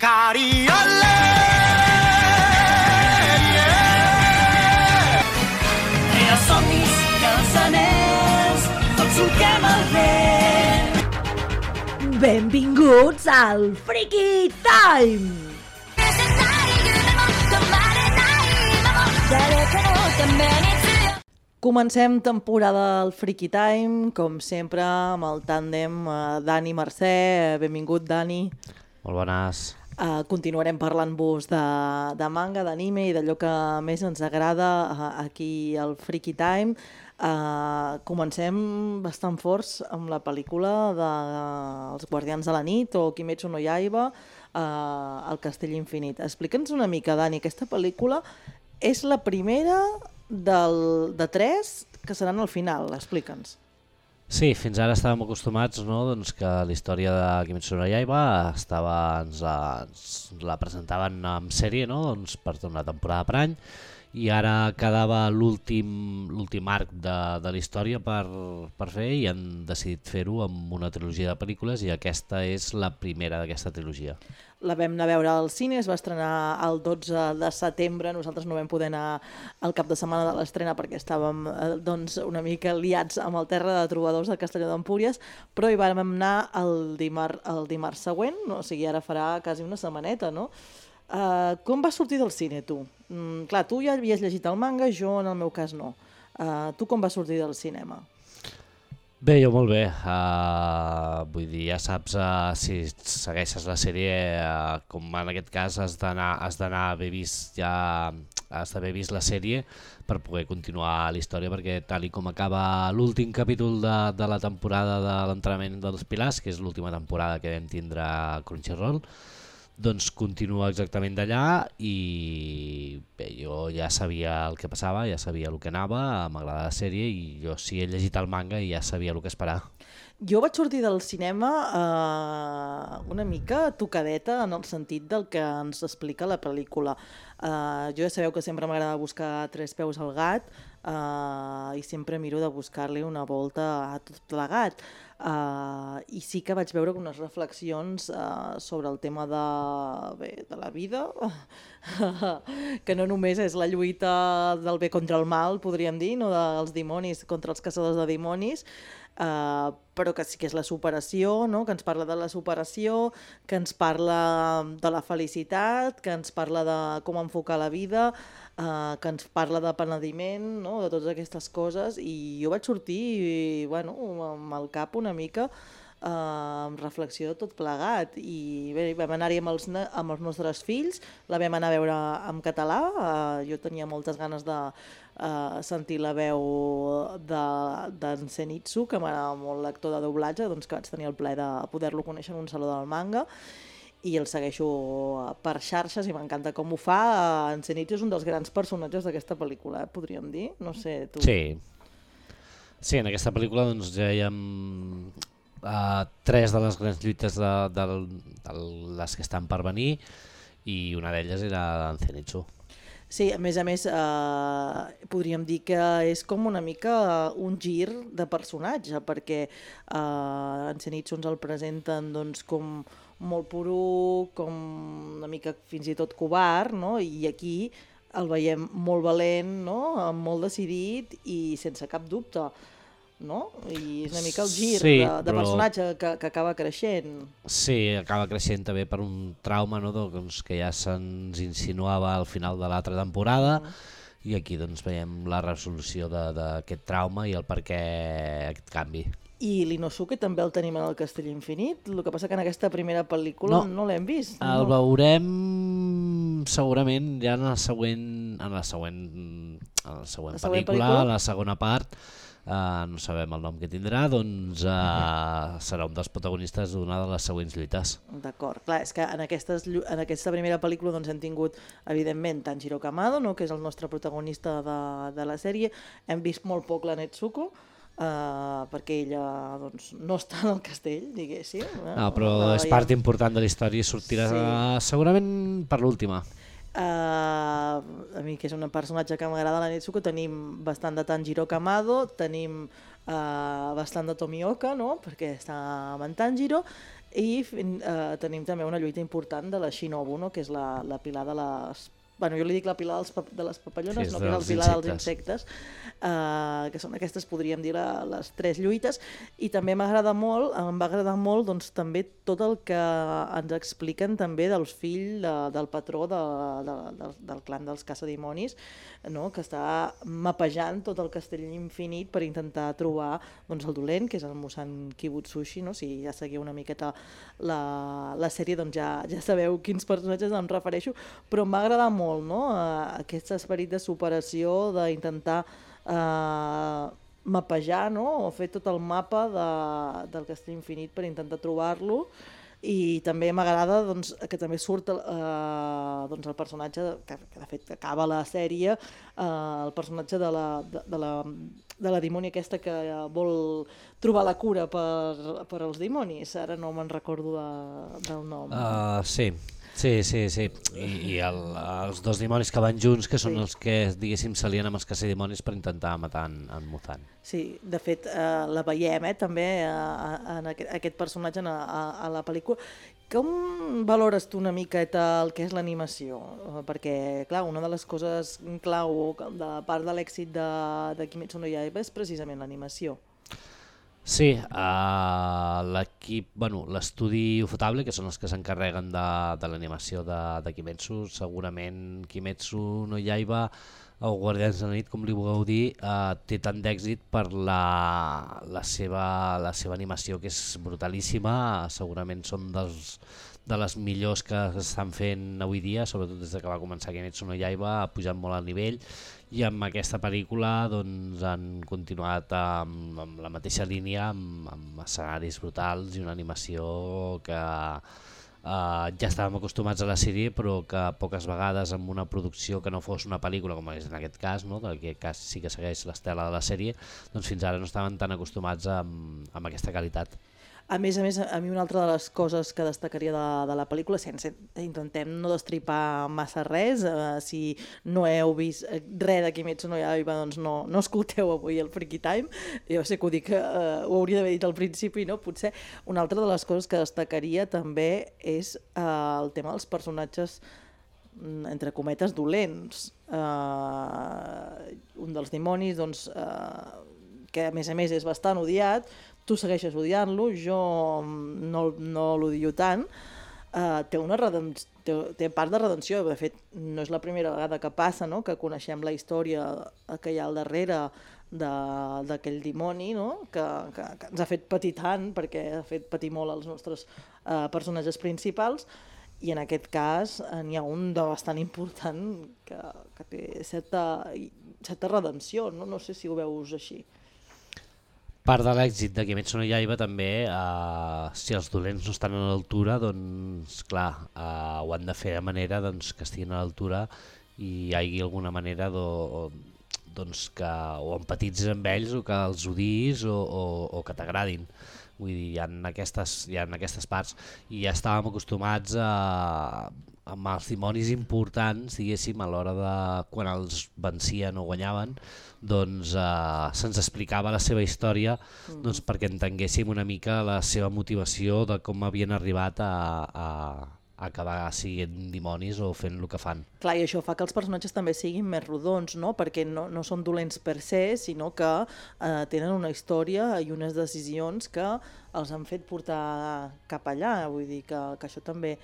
Cariole, els somnis i els anells, tots solquem el vent. Benvinguts al Freaky Time! Comencem temporada al Freaky Time, com sempre, amb el tàndem Dani Mercè. Benvingut, Dani. Molt bones. Continuarem parlant-vos de manga, d'anime i d'allò que més ens agrada aquí al Freaky Time. Comencem bastant forts amb la pel·lícula dels Guardians de la Nit o Kimetsu no Yaiba, El Castell Infinit. Explica'ns una mica, Dani, aquesta pel·lícula és la primera de tres que seran al final, explica'ns. Sí, fins ara estàvem acostumats, no? Doncs que la història de Kimetsu no Yaiba ens la presentaven en sèrie, no? Doncs per una temporada per any, i ara quedava l'últim arc de la història per fer, i han decidit fer-ho amb una trilogia de pel·lícules, i aquesta és la primera d'aquesta trilogia. La vam anar a veure al cine, es va estrenar el 12 de setembre, nosaltres no vam poder anar al cap de setmana de l'estrena perquè estàvem una mica liats amb el terra de trobadors de Castelló d'Empúries, però hi vam anar el dimarts següent, no? O sigui, ara farà quasi una setmaneta, no? Com vas sortir del cine, tu? Clar, tu ja havies llegit el manga, jo en el meu cas no. Tu com vas sortir del cinema? Bé, jo molt bé. Vull dir, ja saps, si segueixes la sèrie, com en aquest cas has d'haver vist la sèrie per poder continuar la història, perquè tal i com acaba l'últim capítol de la temporada de l'entrenament dels Pilars, que és l'última temporada que vam tindre a Crunchyroll, doncs continua exactament d'allà, i bé, jo ja sabia el que passava, ja sabia el que anava, m'agrada la sèrie, i jo sí he llegit el manga i ja sabia el que esperar. Jo vaig sortir del cinema una mica tocadeta en el sentit del que ens explica la pel·lícula. Jo ja sabeu que sempre m'agrada buscar tres peus al gat i sempre miro de buscar-li una volta a tot plegat. I sí que vaig veure unes reflexions sobre el tema de la vida, que no només és la lluita del bé contra el mal, podríem dir, no, dels dimonis contra els caçadors de dimonis, però que sí que és la superació, no? Que ens parla de la superació, que ens parla de la felicitat, que ens parla de com enfocar la vida, que ens parla de penediment, no? De totes aquestes coses, i jo vaig sortir amb el cap una mica amb reflexió de tot plegat, i bé, vam anar-hi amb els nostres fills, la vam anar a veure en català, jo tenia moltes ganes de sentir la veu d'en Zenitsu, que m'agrada molt l'actor de doblatge, doncs que vaig tenir el plaer de poder-lo conèixer en un saló del manga, i el segueixo per xarxes i m'encanta com ho fa. En Zenitsu és un dels grans personatges d'aquesta pel·lícula, podríem dir, no sé, tu. Sí, en aquesta pel·lícula doncs ja hi ha tres de les grans lluites de les que estan per venir, i una d'elles era en Zenitsu. Sí, a més, podríem dir que és com una mica un gir de personatge, perquè en Zenitsu ens el presenten doncs, com molt puro, com una mica fins i tot covard, no? I aquí el veiem molt valent, no? Molt decidit i sense cap dubte, no? I és una mica el gir de personatge que acaba creixent. Sí, acaba creixent també per un trauma, no? Doncs, que ja se'ns insinuava al final de l'altra temporada, i aquí doncs, veiem la resolució d'aquest trauma i el per què aquest canvi. I l'Inosuke també el tenim en el Castell Infinit, el que passa que en aquesta primera pel·lícula no l'hem vist. El veurem segurament ja en la següent pel·lícula, en la segona part, no sabem el nom que tindrà, doncs serà un dels protagonistes d'una de les següents lluites. D'acord, clar, és que en aquesta primera pel·lícula doncs, hem tingut, evidentment, Tanjiro Kamado, no? Que és el nostre protagonista de la sèrie. Hem vist molt poc la Netsuko, perquè ella doncs, no està en el castell, diguéssim. No, però és part important de la història i sortirà segurament per l'última. A mi, que és un personatge que m'agrada la Netsuko, tenim bastant de Tanjiro Kamado, tenim bastant de Tomioka, no? Perquè està amb en Tanjiro, i tenim també una lluita important de la Shinobu, no? Que és la pilar de les... Bueno, jo li dic la pilar de les papallones, Sí, no que és el pilar dels insectes, que són aquestes, podríem dir, les 3 lluites, i també em va agradar molt doncs, també tot el que ens expliquen també dels fills del patró del clan dels caçadimonis, no? Que està mapejant tot el castell infinit per intentar trobar doncs, el dolent, que és el Musan Kibutsushi, no? Si ja seguiu una miqueta la sèrie, doncs ja sabeu quins personatges em refereixo, però m'ha agradat molt, no? Aquest esperit de superació, d'intentar mapejar, no? O fer tot el mapa del castell infinit per intentar trobar-lo. I també m'agrada doncs, que també surt doncs, el personatge que de fet acaba la sèrie, el personatge de la dimoni aquesta que vol trobar la cura per als dimonis. Ara no me'n recordo del nom. Sí. I els 2 dimonis que van junts, que són els que, diguéssim, s'alien amb els caçadimonis per intentar matar en Muzan. Sí, de fet, la veiem també en aquest personatge a la pel·lícula. Com valores tu una miqueta el que és l'animació? Perquè, clar, una de les coses clau de part de l'èxit de Kimetsu no Yaiba és precisament l'animació. Sí, l'equip, l'estudi Ufotable, que són els que s'encarreguen de l'animació de Kimetsu, segurament Kimetsu no Yaiba o Guardians de la Nit, com li vulgueu dir, té tant d'èxit per la seva animació, que és brutalíssima. Segurament són de les millors que s'estan fent avui dia, sobretot des que va començar Kimetsu no Yaiba, ha pujat molt el nivell, i amb aquesta pel·lícula doncs, han continuat amb la mateixa línia, amb escenaris brutals i una animació que ja estàvem acostumats a la sèrie, però que poques vegades amb una producció que no fos una pel·lícula, com és en aquest cas, no? En aquest cas sí que segueix l'estela de la sèrie, doncs fins ara no estaven tan acostumats amb aquesta qualitat. A més, a mi una altra de les coses que destacaria de la pel·lícula, intentem no destripar massa res, si no heu vist res de Kimetsu no Yaiba, doncs no escolteu avui el Freaky Time. Jo sé que ho dic, ho hauria d'haver dit al principi, no? Potser una altra de les coses que destacaria també és el tema dels personatges, entre cometes, dolents. Un dels dimonis, doncs, que a més és bastant odiat, tu segueixes odiant-lo, jo no l'odio tant, té part de redenció. De fet, no és la primera vegada que passa, no? Que coneixem la història que hi ha al darrere d'aquell dimoni, no? Que ens ha fet patir tant, perquè ha fet patir molt els nostres personatges principals, i en aquest cas n'hi ha un de bastant important que té certa redenció, no sé si ho veus així. Part de l'èxit de Kimetsu no Yaiba també, si els dolents no estan a l'altura, doncs clar, ho han de fer de manera que estiguin a l'altura i hi hagi alguna manera doncs que o empatitzis amb ells o que els odiïs o que t'agradin. Vull dir, hi ha aquestes parts, i ja estàvem acostumats amb els dimonis importants, diguéssim, a l'hora de quan els vencien o guanyaven, doncs se'ns explicava la seva història doncs, perquè entenguéssim una mica la seva motivació de com havien arribat a acabar sent dimonis o fent el que fan. Clar, i això fa que els personatges també siguin més rodons, no? Perquè no són dolents per se, sinó que tenen una història i unes decisions que els han fet portar cap allà. Vull dir que això també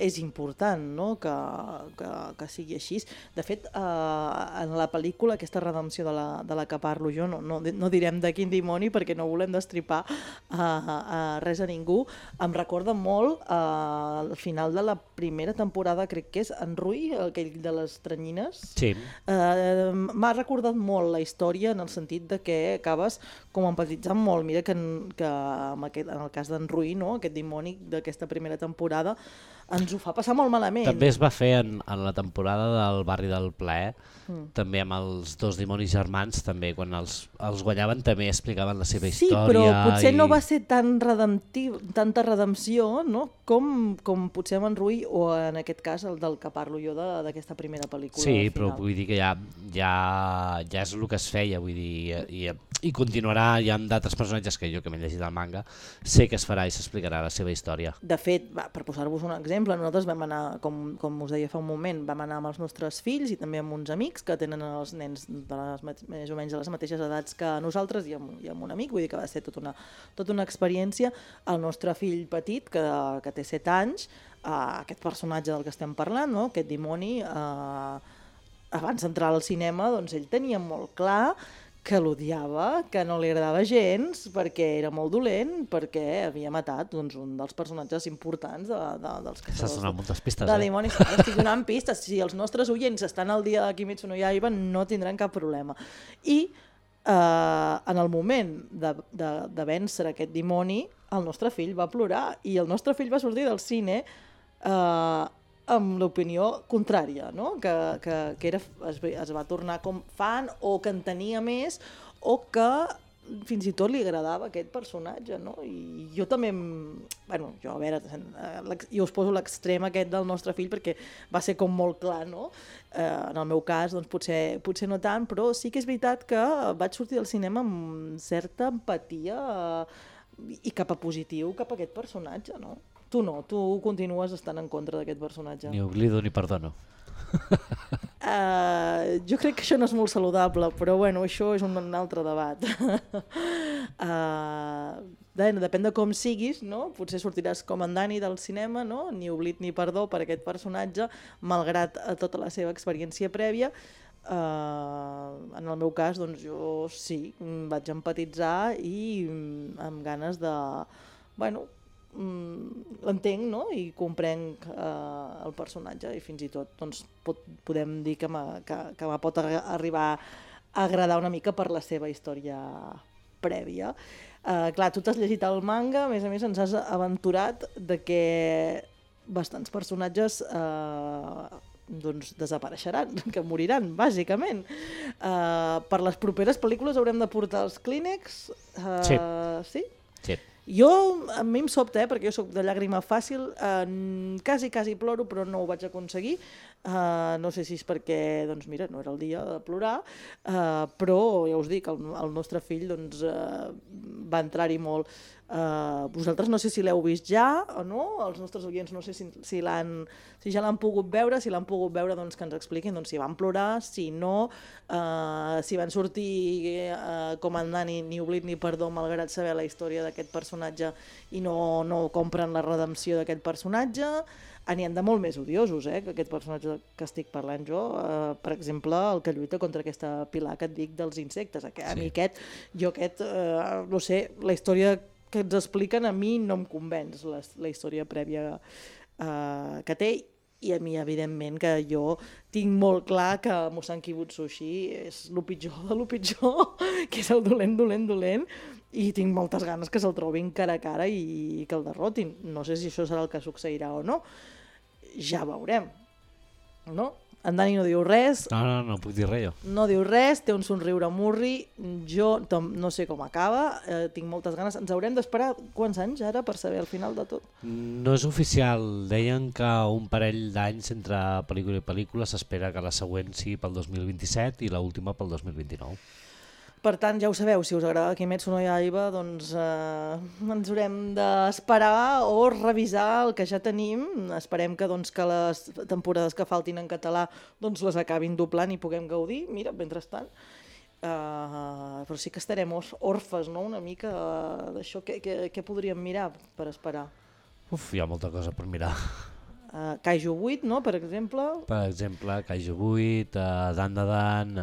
és important, no? Que sigui així. De fet, en la pel·lícula, aquesta redempció de la que parlo jo, no direm de quin dimoni perquè no volem destripar res a ningú, em recorda molt al final de la primera temporada, crec que és en Rui, aquell de les teranyines. Sí. M'ha recordat molt la història en el sentit de que acabes com empatitzant molt. Mira que en el cas d'en Rui, no? Aquest dimoni d'aquesta primera temporada, ens ens ho fa passar molt malament. També es va fer en la temporada del Barri del Plaer, també amb els dos dimonis germans, també quan els guanyaven també explicaven la seva història. Sí, però potser no va ser tan redemptiu, tanta redempció, no? com potser amb en Rui, o en aquest cas el del que parlo jo d'aquesta primera pel·lícula. Sí, però vull dir que ja és el que es feia, vull dir, i continuarà, hi ha d'altres personatges que jo que m'he llegit el manga, sé que es farà i s'explicarà la seva història. De fet, per posar-vos un exemple, nosaltres vam anar, com us deia fa un moment, vam anar amb els nostres fills i també amb uns amics que tenen els nens més o menys de les mateixes edats que nosaltres i amb un amic, vull dir que va ser tota una experiència. El nostre fill petit, que té 7 anys, aquest personatge del que estem parlant, no? Aquest dimoni, abans d'entrar al cinema, doncs ell tenia molt clar que l'odiava, que no li agradava gens, perquè era molt dolent, perquè havia matat un dels personatges importants dels caçadors. Estàs donant moltes pistes, de dimonis. Estic donant pistes. Si els nostres oients estan al dia de Kimetsu no Yaiba, no tindran cap problema. I en el moment de vèncer aquest dimoni, el nostre fill va plorar i el nostre fill va sortir del cine amb l'opinió contrària, no? que es va tornar com fan o que en tenia més o que fins i tot li agradava aquest personatge, no? I jo també, jo a veure, jo us poso l'extrem aquest del nostre fill perquè va ser com molt clar, no? En el meu cas, doncs potser no tant, però sí que és veritat que vaig sortir del cinema amb certa empatia i cap a positiu cap a aquest personatge, no? Tu no, tu continues estant en contra d'aquest personatge. Ni oblido ni perdono. Jo crec que això no és molt saludable, però bueno, això és un altre debat. Depèn de com siguis, no? Potser sortiràs com en Dani del cinema, no? Ni oblit ni perdó per aquest personatge, malgrat tota la seva experiència prèvia. En el meu cas, doncs jo sí, vaig empatitzar i amb ganes de... l'entenc, no? I comprenc el personatge i fins i tot doncs, podem dir que me pot arribar a agradar una mica per la seva història prèvia. Clar, tu t'has llegit el manga, a més ens has aventurat de que bastants personatges doncs desapareixeran, que moriran, bàsicament. Per les properes pel·lícules haurem de portar els clínex? Sí. Sí? Sí. A mi em sobta, perquè jo soc de llàgrima fàcil, quasi ploro, però no ho vaig aconseguir. No sé si és perquè, doncs mira, no era el dia de plorar, però ja us dic, el nostre fill doncs, va entrar-hi molt. Vosaltres no sé si l'heu vist ja o no, els nostres oients no sé si ja l'han pogut veure, si l'han pogut veure doncs que ens expliquin si van plorar, si no, si van sortir com en Dani, ni oblit ni perdó, malgrat saber la història d'aquest personatge i no compren la redempció d'aquest personatge. N'hi ha de molt més odiosos, que aquest personatge que estic parlant jo, per exemple, el que lluita contra aquesta pilar que et dic dels insectes. A mi no sé, la història que ens expliquen a mi no em convenç, la història prèvia que té, i a mi evidentment que jo tinc molt clar que Muzan Kibutsushi és el pitjor de lo pitjor, que és el dolent, i tinc moltes ganes que se'l trobin cara a cara i que el derrotin. No sé si això serà el que succeirà o no, ja veurem, no? En Dani no diu res. No puc dir res jo. No diu res, té un somriure murri, jo no sé com acaba, tinc moltes ganes. Ens haurem d'esperar quants anys ara per saber el final de tot? No és oficial, deien que un parell d'anys entre pel·lícula i pel·lícula, s'espera que la següent sigui pel 2027 i l'última pel 2029. Per tant, ja ho sabeu, si us agrada Kimetsu no Yaiba, doncs ens haurem d'esperar o revisar el que ja tenim. Esperem que les temporades que faltin en català doncs les acabin doblant i puguem gaudir. Mira, mentrestant. Però sí que estarem orfes, no?, una mica d'això. Què podríem mirar per esperar? Hi ha molta cosa per mirar. Kaiju 8, no?, per exemple. Per exemple, Kaiju 8, Dan,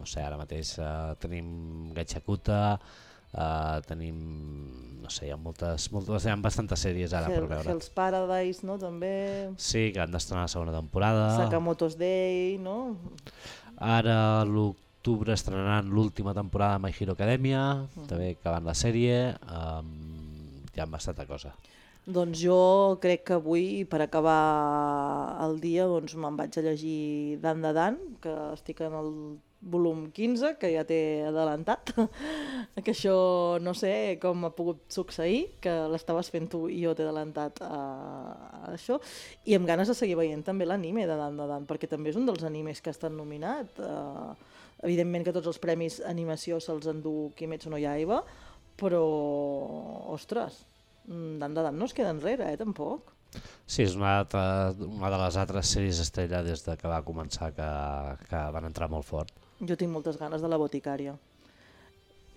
no sé, ara mateix tenim Gachakuta, tenim, no sé, hi ha bastantes sèries ara per veure. Hell's Paradise, no?, també. Sí, que han d'estrenar la segona temporada. Sakamoto's Day, no? Ara a l'octubre estrenaran l'última temporada de My Hero Academia, també acabant la sèrie, hi ha bastanta cosa. Doncs jo crec que avui, per acabar el dia, doncs me'n vaig a llegir Dan de Dan, que estic en el volum 15, que ja t'he adelantat, que això no sé com ha pogut succeir, que l'estaves fent tu i jo t'he adelantat a això, i amb ganes de seguir veient també l'anime de Dan de Dan, perquè també és un dels animes que ha estat nominat. Evidentment que tots els premis animació se'ls endú Kimetsu no Yaiba, però, ostres, Dan de Dan no es queda enrere, tampoc. Sí, és una de les altres sèries estrella des de que va començar, que van entrar molt fort. Jo tinc moltes ganes de La Boticària.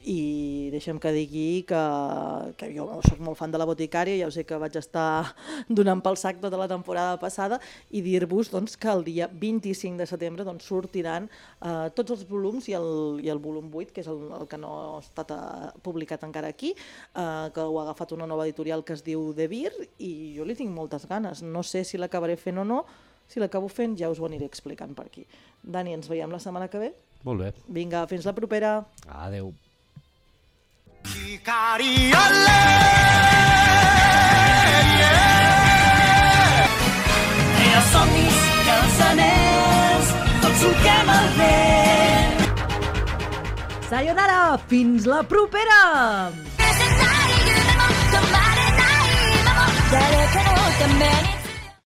I deixa'm que digui que jo soc molt fan de La Boticària, ja ho sé que vaig estar donant pel sac tota la temporada passada, i dir-vos doncs, que el dia 25 de setembre doncs, sortiran tots els volums i el volum 8, que és el que no ha estat publicat encara aquí, que ho ha agafat una nova editorial que es diu De Vir, i jo li tinc moltes ganes. No sé si l'acabaré fent o no, si l'acabo fent ja us ho aniré explicant per aquí. Dani, ens veiem la setmana que ve? Molt bé. Vinga, fins la propera. Adeu. Els somnis i els anells, tots solquem el vent. Sayonara, fins la propera! 誰かのために